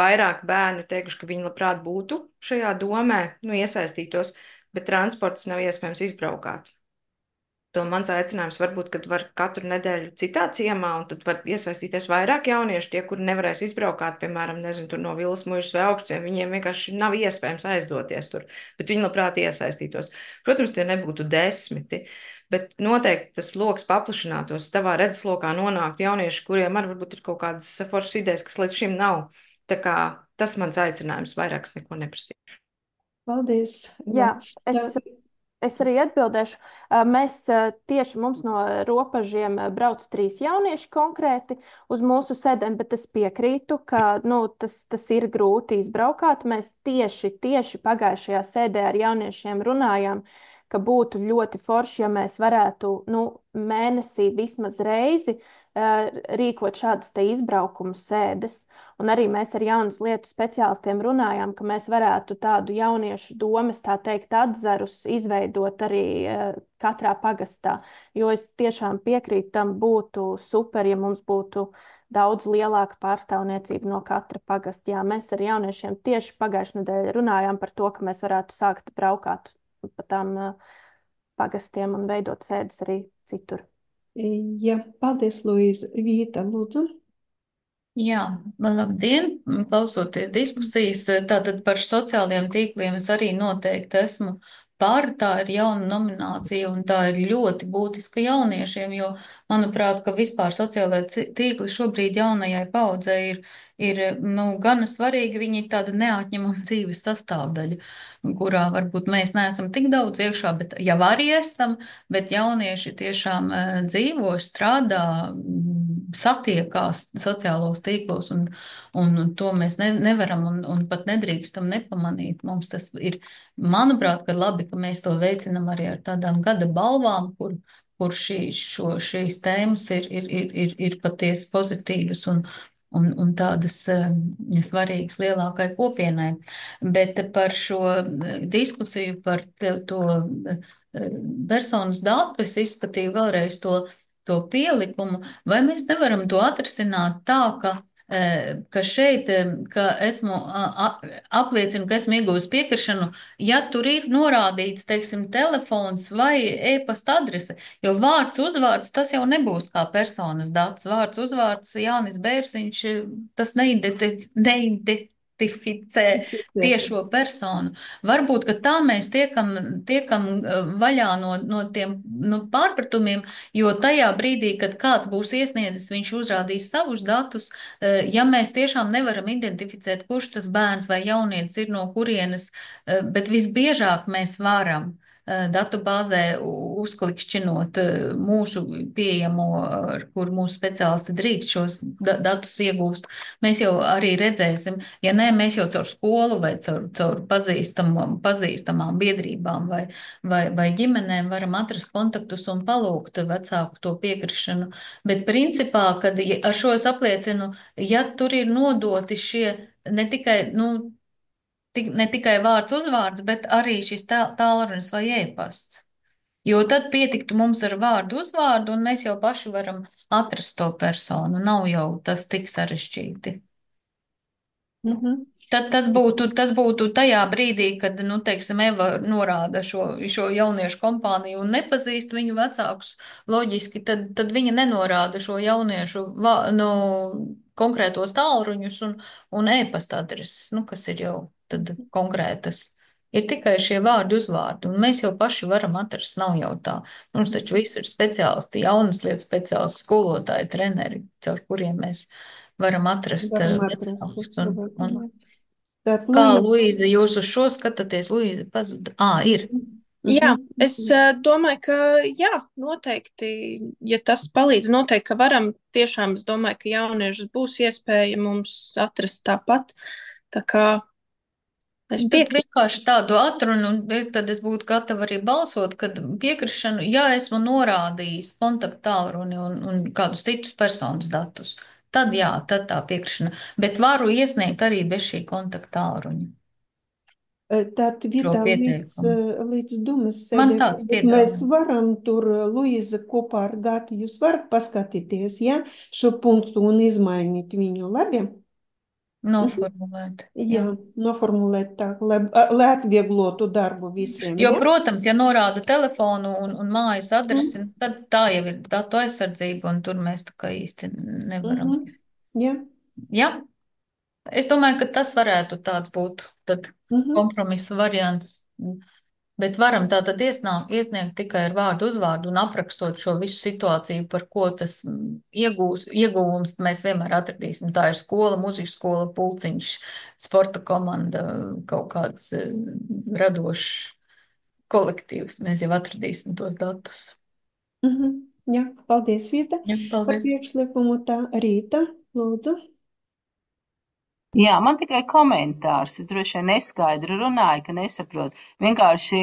vairāk bērnu teikuši, ka viņi labprāt būtu šajā domē, nu, iesaistītos, bet transports nav iespējams izbraukāt. To mans aicinājums varbūt, kad var katru nedēļu citā ciemā, un tad var iesaistīties vairāk jaunieši, tie, kuri nevarēs izbraukāt, piemēram, nezinu, tur no Vilas muižas vai augstiem, viņiem vienkārši nav iespējams aizdoties tur, bet viņi labprāt iesaistītos. Protams, tie nebūtu desmiti, bet noteikti tas loks paplašinātos, tavā redzeslokā nonāktu jaunieši, kuriem arī varbūt ir kaut kādas foršas idejas, kas līdz šim nav. Tā kā tas mans aicinājums, vairāks neko neprasīt. Paldies. Jā, Tā, es, es arī atbildēšu. Ā, Mēs ā, tieši mums no robežiem ā, brauc trīs jaunieši konkrēti uz mūsu sēdēm, bet es piekrītu, ka nu, tas, tas ir grūti izbraukāt. Mēs tieši, tieši pagājušajā sēdē ar jauniešiem runājām, ka būtu ļoti forši, ja mēs varētu nu, mēnesī vismaz reizi ā, rīkot šādas te izbraukumu sēdes. Un arī mēs ar jaunas lietu speciālistiem runājām, ka mēs varētu tādu jauniešu domas, tā teikt, atzarus izveidot arī eh, katrā pagastā. Jo es tiešām piekrītu, tam būtu super, ja mums būtu daudz lielāka pārstāvniecība no katra pagasta. Jā, mēs ar jauniešiem tieši pagājušajā nedēļā runājām par to, ka mēs varētu sākt braukāt pa tām eh, pagastiem un veidot sēdes arī citur. jā, paldies, Luīza. Vīta, lūdzu. Jā, labdien! Klausoties diskusijas, tātad par sociālajiem tīkliem es arī noteikti esmu par, tā ir jauna nominācija un tā ir ļoti būtiska jauniešiem, jo, manuprāt, ka vispār sociālajie ci- tīkli šobrīd jaunajai paudzei ir, ir, nu, gana svarīgi, viņi ir tāda neatņemama dzīves sastāvdaļa, kurā varbūt mēs neesam tik daudz iekšā, bet jau arī esam, bet jaunieši tiešām eh, dzīvo, strādā, mm, satiekās sociālos tīklos, un, un to mēs ne, nevaram un, un pat nedrīkstam nepamanīt. Mums tas ir, manuprāt, ka labi, ka mēs to veicinam arī ar tādām gada balvām, kur, kur šī, šo, šīs tēmas ir, ir, ir, ir, ir patiesi pozitīvas un, un, un tādas eh, svarīgas lielākai kopienai. Bet par šo eh, diskusiju par te- to eh, personas datu es izskatīju vēlreiz to, to pielikumu, vai mēs nevaram to atrisināt tā, ka, eh, ka šeit, eh, ka esmu a- a- apliecinu, ka esmu iegūst piekrišanu, ja tur ir norādīts, teiksim, telefons vai e-pasta adrese, jo vārds uzvārds tas jau nebūs kā personas dats. Vārds uzvārds Jānis Bērziņš, tas neidenti- neidentificē tiešo personu. Varbūt, ka tā mēs tiekam, tiekam eh, vaļā no, no tiem nu, pārpratumiem, jo tajā brīdī, kad kāds būs iesniedzis, viņš uzrādīs savus datus, eh, ja mēs tiešām nevaram identificēt, kurš tas bērns vai jaunietis ir no kurienes, eh, bet visbiežāk mēs varam eh, datu bāzē u- uzklikšķinot eh, mūsu pieejamo, ar kur mūsu speciālisti drīkst šos da datus iegūst. Mēs jau arī redzēsim, ja nē, mēs jau caur skolu vai caur, caur pazīstamām, pazīstamām biedrībām vai, vai, vai ģimenēm varam atrast kontaktus un palūgt vecāku to piekrišanu. Bet principā, kad ja ar šo es apliecinu, ja tur ir nodoti šie ne tikai, nu, tik, ne tikai vārds uzvārds, bet arī šis tā- tālrunis vai e-pasts. Jo tad pietiktu mums ar vārdu uzvārdu, un mēs jau paši varam atrast to personu. Nav jau tas tik sarežģīti. Mhm. Tad tas būtu, tas būtu tajā brīdī, kad, nu, teiksim, Eva norāda šo, šo jauniešu kompāniju un nepazīst viņu vecākus, loģiski, tad, tad viņa nenorāda šo jauniešu, va, nu, konkrētos tālruņus un, un e-pasta adreses, nu, kas ir jau tad konkrētas. Ir tikai šie vārdi uzvārdi, un mēs jau paši varam atrast, nav jau tā. Mums taču visur ir speciālisti, jaunas lietas speciālisti, skolotāji, treneri, caur kuriem mēs varam atrast eh, Varam atrast vecākus. to Un, cilvēku, un, jā. Tātad, kā, Luīza. Luīza, jūs uz šo skatāties? Luīza pazuda. Ā, ir. Jā, Mhm. es uh, domāju, ka jā, noteikti, ja tas palīdz, noteikti, ka varam tiešām, es domāju, ka jauniešus būs iespēja mums atrast tāpat. Tā kā es Tad piekrītu. vienkārši tādu atrunu, un tad es būtu gatava arī balsot, kad piekrišanu, ja esmu norādījis kontaktu tālruni un, un kādus citus personas datus, tad jā, tad tā piekrišana. Bet varu iesniegt arī bez šī kontaktu tālruņa Tātad šo vietā līdz, pieteikumu. līdz Dumas Man sēdē, tāds bet mēs piedāvājums. varam tur, Luīza, kopā ar Gati, jūs varat paskatīties, ja, šo punktu un izmainīt viņu, labi? Noformulēt. Jā, Jā. noformulēt tā, lai, lai atvieglotu darbu visiem. Jo, Ja? protams, ja norāda telefonu un, un mājas Mm. adresi, tad tā jau ir datu aizsardzība, un tur mēs tā kā īsti nevaram. Mhm. Ja. Jā, es domāju, ka tas varētu tāds būt tad Mhm. kompromisa variants. Bet varam tātad iesnāk, iesniegt tikai ar vārdu uzvārdu un aprakstot šo visu situāciju, par ko tas mm, iegūs, ieguvums mēs vienmēr atradīsim. Tā ir skola, mūzikas skola, pulciņš, sporta komanda, kaut kāds eh, radošs kolektīvs. Mēs jau atradīsim tos datus. Mhm. Jā, paldies, Vita, Jā, par paldies. priekšlikumu. Tā, Rīta, lūdzu. Jā, man tikai komentārs. Es droši vien neskaidri runāju, ka nesaprotu. Vienkārši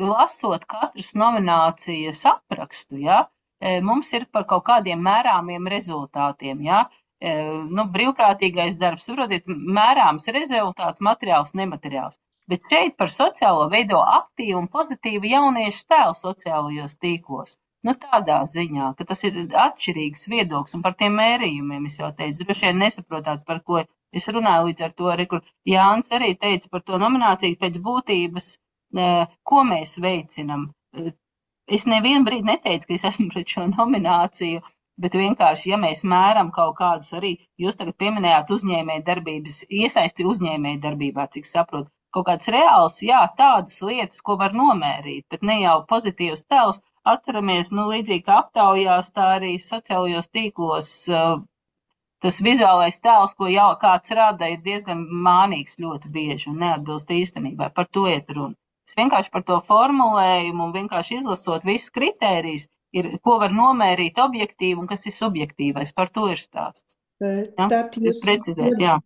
lasot katras nominācijas aprakstu, ja, e, mums ir par kaut kādiem mērāmiem rezultātiem. Ja. E, nu, brīvprātīgais darbs, saprotiet, mērāms rezultāts, materiāls, nemateriāls. Bet šeit par sociālo veido aktīvu un pozitīvu jauniešu tēlu sociālajos tīklos. Nu, tādā ziņā, ka tas ir atšķirīgs viedoklis un par tiem mērījumiem es jau teicu. Droši vien nesaprotāt, par ko es runāju līdz ar to arī, kur Jānis arī teica par to nomināciju pēc būtības, ko mēs veicinam. Es nevienu brīdi neteicu, ka es esmu pret šo nomināciju, bet vienkārši, ja mēs mēram kaut kādus arī, jūs tagad pieminējāt uzņēmēju darbības, iesaisti uzņēmēju darbībā, cik saprotu, kaut kāds reāls, jā, tādas lietas, ko var nomērīt, bet ne jau pozitīvs tēls. Atceramies, nu, līdzīgi kā aptaujās, tā arī sociālajos tīklos tas vizuālais tēls, ko jau kāds rada, ir diezgan mānīgs ļoti bieži un neatbilst īstenībai. Par to iet runa. Es vienkārši par to formulējumu un vienkārši izlasot visu kritērijus, ir, ko var nomērīt objektīvi un kas ir subjektīvais. Par to ir stāsts. Ja? Tad jūs, Precizēt, jā.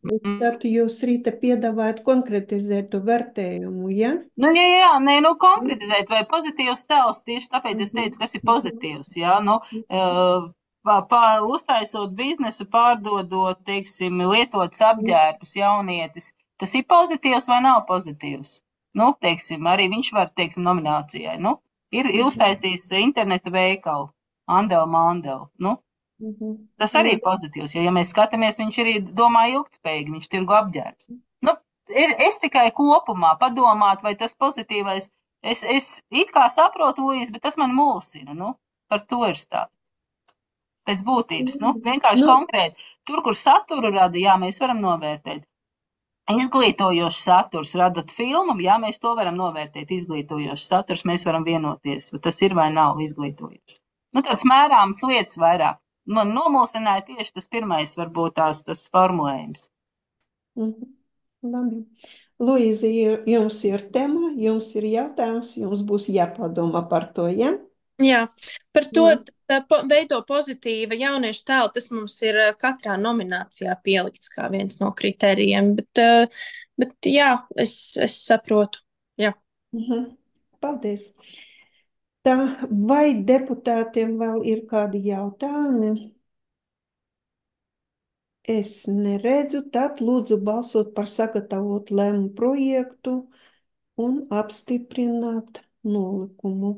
tad jūs, Rīta, piedāvājat konkretizētu vērtējumu, ja? Nu, jā, jā, nē, nu, konkretizēt, vai pozitīvs tēls, tieši tāpēc es teicu, kas ir pozitīvs, jā, nu, uh, Pār, uztaisot biznesu, pārdodot, teiksim, lietots apģērbus jaunietis, tas ir pozitīvs vai nav pozitīvs? Nu, teiksim, arī viņš var, teiksim, nominācijai, nu, ir uztaisījis interneta veikalu, Andel Mandel, nu, tas arī ir pozitīvs, jo, ja mēs skatāmies, viņš arī domā ilgtspējīgi, viņš tirgo apģērbus. Nu, ir, es tikai kopumā padomāt, vai tas pozitīvais, es, es it kā saprotu, Luīs, bet tas man mulsina, nu, par to ir stāsts. Pēc būtības, nu, vienkārši nu. Konkrēti. Tur, kur saturu rada, jā, mēs varam novērtēt. Izglītojošs saturs radot filmu, jā, mēs to varam novērtēt. Izglītojošs saturs, mēs varam vienoties, vai tas ir vai nav izglītojošs. Nu, tāds mērāms lietas vairāk. Man nomulsināja tieši tas pirmais, varbūt tās tas formulējums. Mhm. Labi. Luīzi, jums ir tema, jums ir jautājums, jums būs jāpadomā par to, ja? Jā, par to tā po, veido pozitīva jauniešu tēlu, tas mums ir katrā nominācijā pielikts kā viens no kritērijiem, bet, bet jā, es, es saprotu, jā. Mhm. Paldies. Tā, vai deputātiem vēl ir kādi jautājumi? Es neredzu, tad lūdzu balsot par sagatavot lēmumu projektu un apstiprināt nolikumu.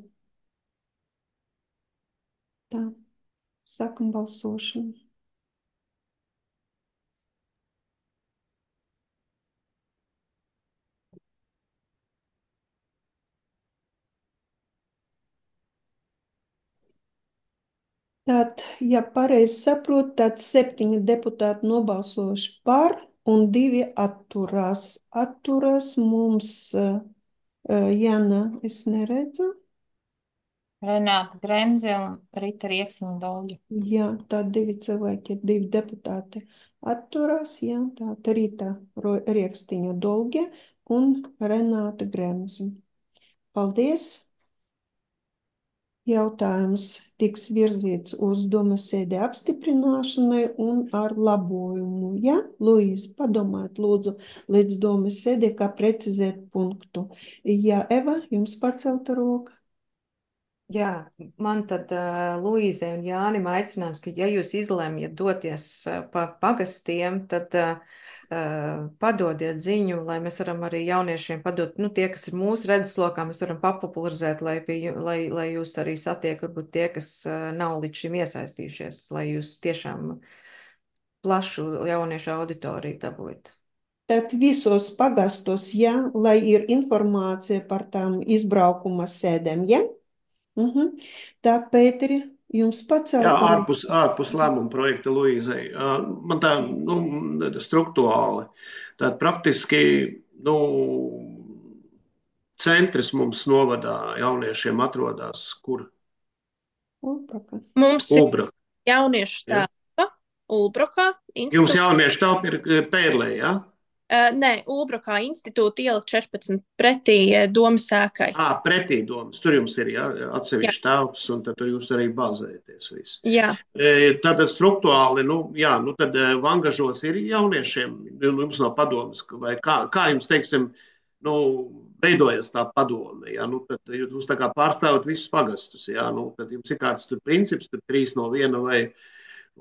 Tā, sākam balsošanu. Tad, ja pareizi saprotu, tad septiņi deputāti nobalsojuši par un divi atturās. Atturās mums, uh, Jana, es neredzu. Renāta Bremze un Rita Rieksniņa Dolģa. Jā, tā divi cilvēki, divi deputāti atturās, jā, tā Rita Rieksniņa Dolģa un Renāta Bremze. Paldies! Jautājums tiks virzīts uz domas sēdi apstiprināšanai un ar labojumu. Ja, Luīze, padomājiet lūdzu līdz domas sēdi, kā precizēt punktu. Jā, Eva, jums pacelta roka. Jā, man tad uh, Luīzei un Jānim aicinājums, ka ja jūs izlemjat doties uh, pa pagastiem, tad uh, uh, padodiet ziņu, lai mēs varam arī jauniešiem padot, nu tie, kas ir mūsu redzeslokā, mēs varam papopularizēt, lai, pie, lai, lai jūs arī satiek, varbūt tie, kas uh, nav līdz šim iesaistījušies, lai jūs tiešām plašu jauniešu auditoriju dabūjat. Tad visos pagastos, ja, lai ir informācija par tām izbraukuma sēdēm, ja? Mhm. Tā, Pēteri, jums Jā, pacelta roka. ārpus, ārpus lēmuma projekta Luīzei. Uh, Man tā, nu, struktūrāli, tā praktiski, nu, centrs mums novadā jauniešiem atrodas, kur Ulbraka. Mums ir Ulbra. jauniešu Ja? telpa Ulbrokā Jums institūta. jauniešu telpa ir Pērlē, ja? Uh, nē, Ulbrokā institūta iela četrpadsmit pretī uh, Domas ēkai. Ā, pretī domas. Tur jums ir, ja, Jā, atsevišķi telpas, un tad tur jūs arī bazēties visi. jā. E, Tātad struktūrāli, nu, jā, nu tad e, Vangažos ir jauniešiem, nu, jums nav padomas, ka- vai kā, kā jums, teiksim, nu, veidojas tā padome, ja, nu, tad jūs tā kā pārstāvat visus pagastus, ja, nu, tad jums ir kāds tur princips, tur trīs no viena vai,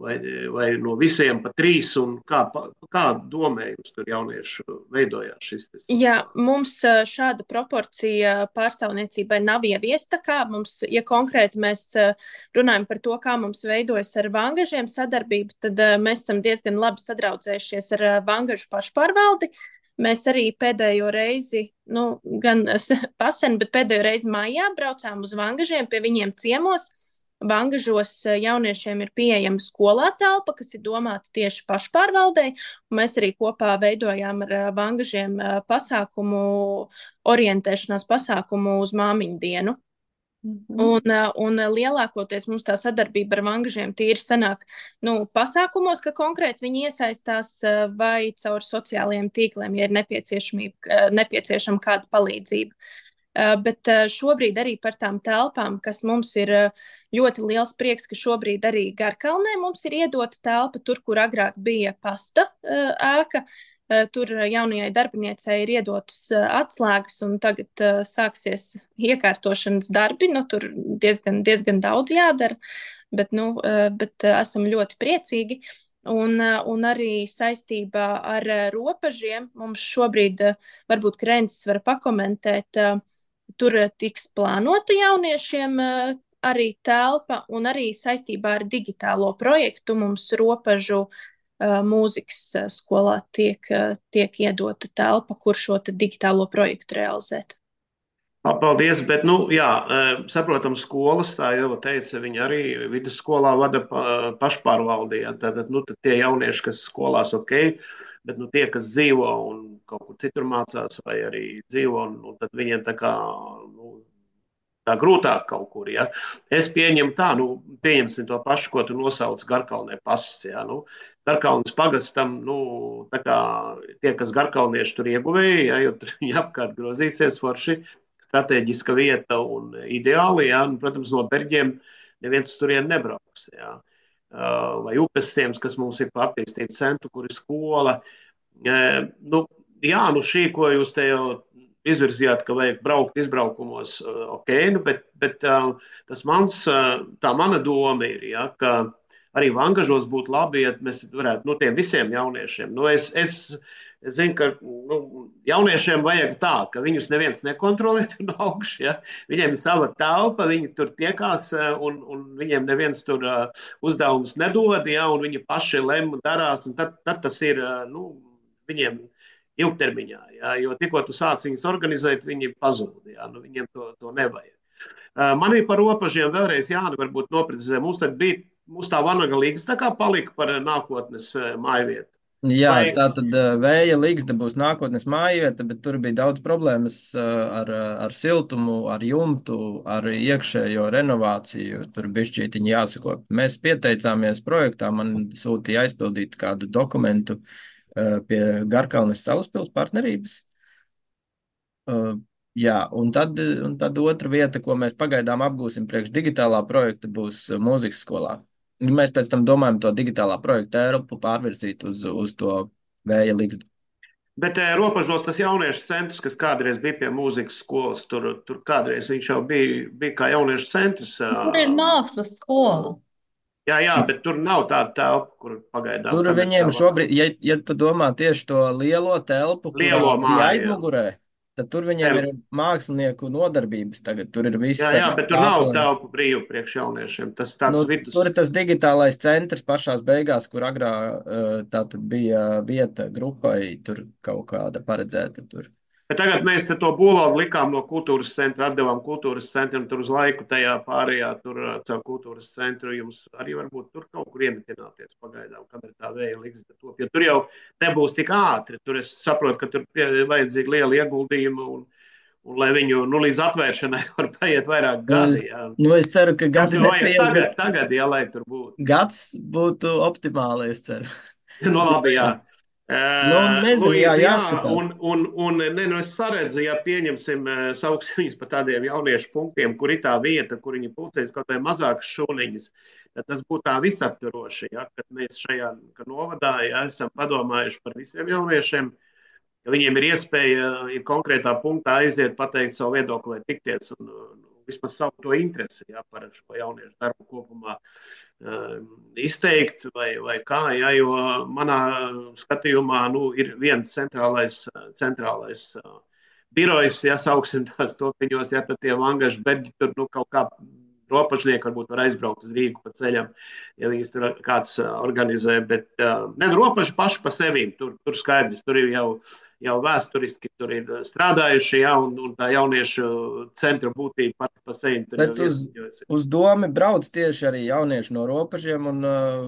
vai, vai no visiem pa trīs, un kā, pa- kā domē jums tur jauniešu veidojās šis te Jā, struktūrāli? mums ā, šāda proporcija pārstāvniecībai nav ieviesta. Kā mums, ja konkrēti mēs ā, runājam par to, kā mums veidojas ar Vangažiem sadarbība, tad ā, mēs esam diezgan labi sadraudzējušies ar ā, Vangažu pašpārvaldi. Mēs arī pēdējo reizi, nu, gan pasen, bet pēdējo reizi maijā braucām uz Vangažiem pie viņiem ciemos. Vangažos ā, jauniešiem ir pieejama skolā telpa, kas ir domāta tieši pašpārvaldei. Mēs arī kopā veidojām ar ā, Vangažiem ā, pasākumu, orientēšanās pasākumu uz māmiņu dienu. Mhm. Un, ā, un lielākoties mums tā sadarbība ar Vangažiem tīri sanāk nu, pasākumos, ka konkrēti viņi iesaistās ā, vai caur sociālajiem tīkliem, ja ir nepieciešamība, ā, nepieciešama kāda palīdzība. Uh, bet uh, šobrīd arī par tām telpām, kas mums ir uh, ļoti liels prieks, ka šobrīd arī Garkalnē mums ir iedota telpa, tur, kur agrāk bija pasta uh, ēka. Uh, tur jaunajai darbiniecei ir iedotas uh, atslēgas, un tagad uh, sāksies iekārtošanas darbi. Nu, tur diezgan, diezgan daudz jādara, bet, nu, uh, bet uh, esam ļoti priecīgi. Un, uh, un arī saistībā ar uh, robežiem mums šobrīd, uh, varbūt Krencis var pakomentēt, uh, tur uh, tiks plānota jauniešiem uh, arī telpa, un arī saistībā ar digitālo projektu mums robežu uh, mūzikas uh, skolā tiek, uh, tiek iedota telpa, kur šo te digitālo projektu realizēt. Paldies, bet, nu, jā, eh, saprotam, skolas, tā jau teica, viņi arī vidusskolā vada pa- pašpārvaldī. Ja, Tātad, nu, tad tie jaunieši, kas skolās, ok, bet, nu, tie, kas dzīvo un kaut kur citur mācās vai arī dzīvo, nu, tad viņiem tā kā, nu, tā grūtāk kaut kur, ja. Es pieņemu tā, nu, pieņemsim to pašu, ko tu nosauc Garkalnē pasas, ja, nu, Garkalnes pagastam, nu, tā kā tie, kas garkalnieši tur ieguvēja, ja, jo tur viņi apkārt grozīsies forši, strateģiska vieta un ideāli, ja, un, protams, no Berģiem neviens turien nebrauks, ja. Uh, vai upes ciems, kas mums ir pa attīstību centru, kur ir skola. Uh, nu, jā, nu šī, ko jūs te jau izvirzījāt, ka vajag braukt izbraukumos, uh, ok, nu, bet, bet uh, tas mans, uh, tā mana doma ir, ja, ka arī Vangažos būtu labi, ja mēs varētu, nu, tiem visiem jauniešiem, nu, es, es, es zinu, ka nu, jauniešiem vajag tā, ka viņus neviens nekontrolē tur no augšu, ja, viņiem ir sava telpa, viņi tur tiekās uh, un, un viņiem neviens tur uh, uzdevumus nedod, ja, un viņi paši lem un darās, un tad, tad tas ir, uh, nu, viņiem ilgtermiņā, ja, jo tikko tu sāc viņus organizēt, viņi pazūd, ja, nu, viņiem to, to nevajag. Uh, man ir par robežiem vēlreiz Jāni varbūt noprecizē, mums tad bija, mums tā Vanaga līgas tā kā palika par nākotnes uh, mājvietu. Jā, Vai, tā tad uh, vēja līgsta būs nākotnes mājvieta, bet tur bija daudz problēmas uh, ar, uh, ar siltumu, ar jumtu, ar iekšējo renovāciju. Tur bišķītiņi jāsako. Mēs pieteicāmies projektā, man sūtīja aizpildīt kādu dokumentu uh, pie Garkalnes Salaspils partnerības. Uh, jā, un tad, un tad otra vieta, ko mēs pagaidām apgūsim priekš digitālā projekta, būs uh, mūzikas skolā. Mēs pēc tam domājam to digitālā projekta telpu pārvirzīt uz, uz to vēja līgstu. bet eh, robežos tas jauniešu centrs, kas kādreiz bija pie mūzikas skolas, tur, tur kādreiz viņš jau bija, bija kā jauniešu centrs. Tur ir ā, mākslas skola. Jā, jā, bet tur nav tāda telpa, kur pagaidām. Tur Tāpēc viņiem tā va- šobrīd, ja, ja tu domā tieši to lielo telpu, kurā Lielo bija māju, jā. aizmugurē, tad tur viņiem ir mākslinieku nodarbības tagad. Tur ir viss Jā, jā, ar bet tur nav krākliem. telpu brīvu priekš jauniešiem. Tas tāds Nu, vidus. tur ir tas digitālais centrs pašās beigās, kur agrā uh, tā tad bija vieta grupai, tur kaut kāda paredzēta tur. Bet tagad mēs te to būvālu likām no kultūras centra, atdevām kultūras centram, tur uz laiku tajā pārējā, tur uh, caur kultūras centru jums arī varbūt tur kaut kur iemitināties pagaidām, kamēr tā vēja liks. To, jo tur jau nebūs tik ātri, tur es saprotu, ka tur pie- vajadzīgi liela ieguldījuma un, un lai viņu, nu, līdz atvēršanai var paiet vairāk Nu, es, gadi, jā. nu, es ceru, ka Jums gadi jau vajag nepaies, tagad, bet tagad, jā, lai tur būtu. gads būtu optimāli, es ceru. Nu, labi, jā. Nu, nezinu, jā, Luīza, jā, jāskatās. un, un, un ne, nu, es saredzu, ja pieņemsim, eh, sauksim viņus pa tādiem jauniešu punktiem, kur ir tā vieta, kur viņi pulcēs kaut vai mazākas šūniņas, tad tas būtu tā visaptvaroši, ja, kad mēs šajā ka novadā ja, esam padomājuši par visiem jauniešiem, ka viņiem ir iespēja, ja konkrētā punktā aiziet, pateikt savu viedokli vai tikties un, un vismaz savu to interesi ja, par šo jauniešu darbu kopumā uh, izteikt vai, vai kā, ja, jo manā skatījumā nu, ir viens centrālais, centrālais uh, birojs, ja sauksim tās topiņos, ja tad tie vangaži beģi tur nu, kaut kā ropažnieki varbūt var aizbraukt uz Rīgu pa ceļam, ja viņas tur kāds uh, organizē, bet uh, ne, ropaži paši pa sevīm, tur, tur skaidrs, tur ir jau jau vēsturiski tur ir strādājuši, ja, un, un tā jauniešu centra būtība pati pa sevi. Bet uz, uz domi brauc tieši arī jaunieši no robežiem, un uh,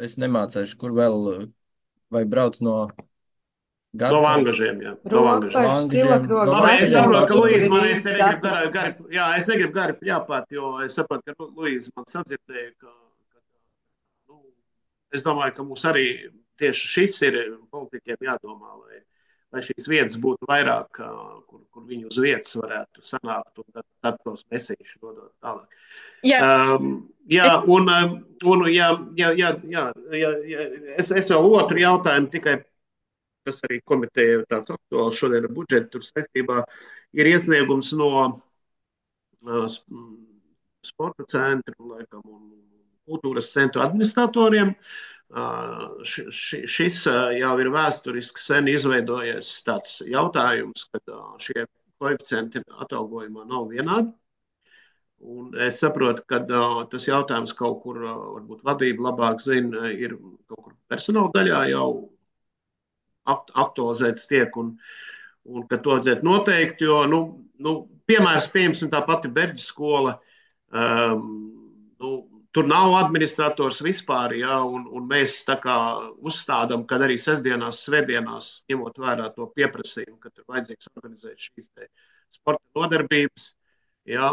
es nemācēšu, kur vēl, vai brauc no gadu. No vangažiem, jā. No vangažiem. Silakrogs. No Labi, es saprotu, ka Luīza man es negribu gari, gari, jā, es negribu gari pļāpāt, jo es saprotu, ka Luīza man sadzirdēja, ka, ka nu, es domāju, ka mums arī tieši šis ir politiķiem jādomā, lai lai šīs vietas būtu vairāk, kur, kur viņi uz vietas varētu sanākt un tad, tad tos mesīšus dodot tālāk. Jā, um, jā un, un jā, jā, jā, jā, jā, jā, es, es vēl otru jautājumu tikai, kas arī komiteja tāds aktuāls šodien ar budžetu tur saistībā, ir iesniegums no uh, sporta centru laikam un kultūras centru administratoriem. Uh, š, š, šis uh, jau ir vēsturiski sen izveidojies tāds jautājums, ka uh, šie koeficienti atalgojumā nav vienādi. Un es saprotu, ka uh, tas jautājums kaut kur, uh, varbūt vadība labāk zina, ir kaut kur personāla daļā jau akt, aktualizēts tiek un, un ka to vajadzētu noteikt, jo, nu, nu piemērs, pieņemsim tā pati Berģa skola, um, nu, tur nav administrators vispār, ja, un, un mēs tā kā uzstādām, kad arī sestdienās, svētdienās, ņemot vērā to pieprasījumu, ka tur vajadzīgs organizēt šīs te sporta nodarbības, ja,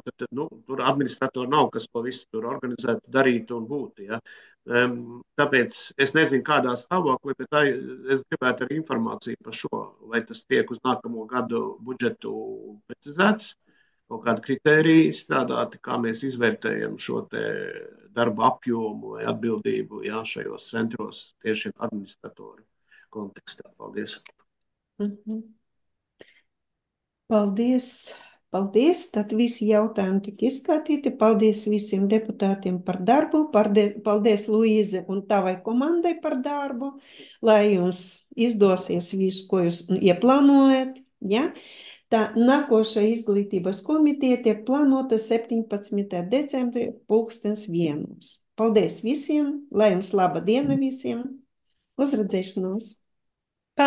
tad, tad nu, tur administratori nav, kas to visu tur organizētu, darītu un būtu. Ja. Um, tāpēc es nezinu, kādā stāvoklī, bet tā, es gribētu arī informāciju par šo, vai tas tiek uz nākamo gadu budžetu precizēts, kaut kāda kritērija izstrādāti, kā mēs izvērtējam šo te darba apjomu vai atbildību jā, šajos centros tieši administratoru kontekstā. Paldies. Mhm. Paldies. Paldies. Tad visi jautājumi tika izskatīti. Paldies visiem deputātiem par darbu. Paldies, Luīze, un tavai komandai par darbu, lai jums izdosies visu, ko jūs ieplānojat. Ja? Tā nākošā izglītības komiteja tiek plānota septiņpadsmitā decembrī pulkstens vienos. Paldies visiem, lai jums laba diena visiem, uz redzēšanos!